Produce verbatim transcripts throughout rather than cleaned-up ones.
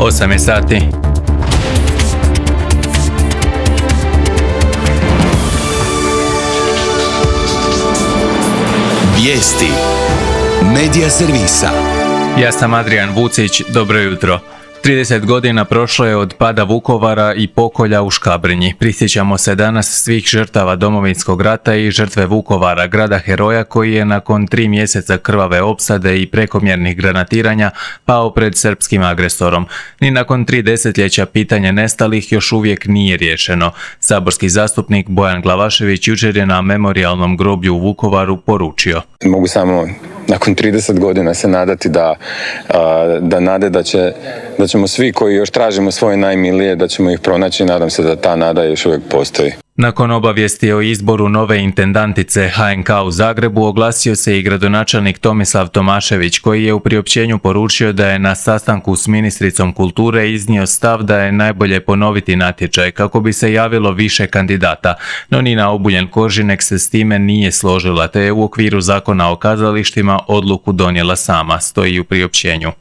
osam je sati. Vijesti Medija servisa. Ja sam Adrian Vucić, dobro jutro. trideset godina prošlo je od pada Vukovara i pokolja u Škabrnji. Prisjećamo se danas svih žrtava Domovinskog rata i žrtve Vukovara, grada heroja koji je nakon tri mjeseca krvave opsade i prekomjernih granatiranja pao pred srpskim agresorom. Ni nakon tri desetljeća pitanje nestalih još uvijek nije riješeno. Saborski zastupnik Bojan Glavašević jučer je na memorijalnom groblju u Vukovaru poručio: Mogu samo nakon trideset godina se nadati da, da nade da, će, da ćemo svi koji još tražimo svoje najmilije, da ćemo ih pronaći. Nadam se da ta nada još uvijek postoji. Nakon obavijesti o izboru nove intendantice H N K u Zagrebu oglasio se i gradonačelnik Tomislav Tomašević, koji je u priopćenju poručio da je na sastanku s ministricom kulture iznio stav da je najbolje ponoviti natječaj kako bi se javilo više kandidata, no Nina Obuljen-Koržinek se s time nije složila te je u okviru Zakona o kazalištima odluku donijela sama, stoji u priopćenju.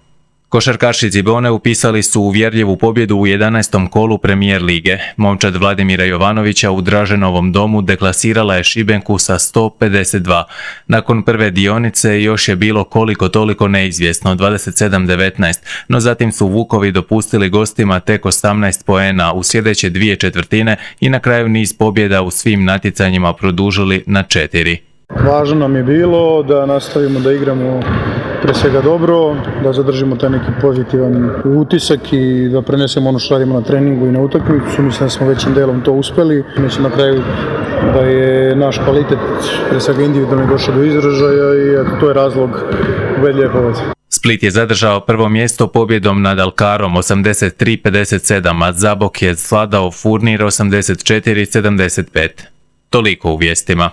Košarkaši Cibone upisali su uvjerljivu pobjedu u jedanaestom kolu Premijer lige. Momčad Vladimira Jovanovića u Draženovom domu deklasirala je Šibenku sa sto pedeset dva. Nakon prve dionice još je bilo koliko toliko neizvjesno, dvadeset sedam devetnaest, no zatim su Vukovi dopustili gostima tek osamnaest poena u sljedeće dvije četvrtine i na kraju niz pobjeda u svim natjecanjima produžili na četiri. Važno nam je bilo da nastavimo da igramo pre svega dobro, da zadržimo taj neki pozitivan utisak i da prenesemo ono što radimo na treningu i na utakmicu. Mislim da smo većim delom to uspeli. Mislim na kraju da je naš kvalitet pre svega individualno došao do izražaja i eto, to je razlog ubedljive pobjede. Split je zadržao prvo mjesto pobjedom nad Alkarom osamdeset tri pedeset sedam, a Zabok je svladao Furnir osamdeset četiri sedamdeset pet. Toliko u vijestima.